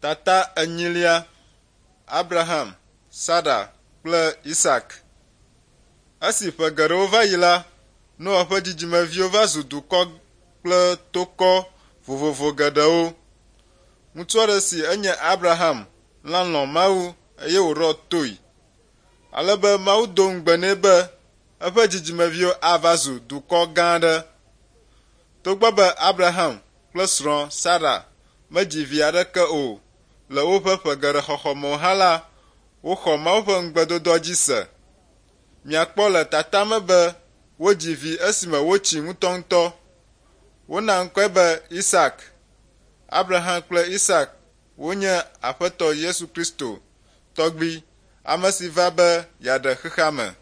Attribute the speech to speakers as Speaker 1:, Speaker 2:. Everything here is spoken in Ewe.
Speaker 1: Tata enyilia, Abraham, Sara kple Isak. Esi ƒe geɖewo va yi la, Noa ƒe dzidzimeviwo va zu dukɔ kple tokɔ vovovo geɖewo. Ŋutsu aɖe si enye Abraham la lɔ̃ Mawu eye wòɖɔ toe, ale be Mawu do ŋugbe nɛ be eƒe dzidzimeviwo ava zu dukɔ gã aɖe. Togbɔ be Abraham kple srɔ̃ Sara medzi vi aɖeke o le woƒe ƒe geɖe xɔxɔ me o hã la, woxɔ Mawu ƒe ŋugbedodoa dzi se. Miakpɔ le tata me be wodzi vi esime wotsi ŋutɔŋutɔ. Wona ŋkɔe be Isak. Abraham kple Isak wonye Aƒetɔ Yesu Kristo tɔgbui, ame si va be yeaɖe xexea me.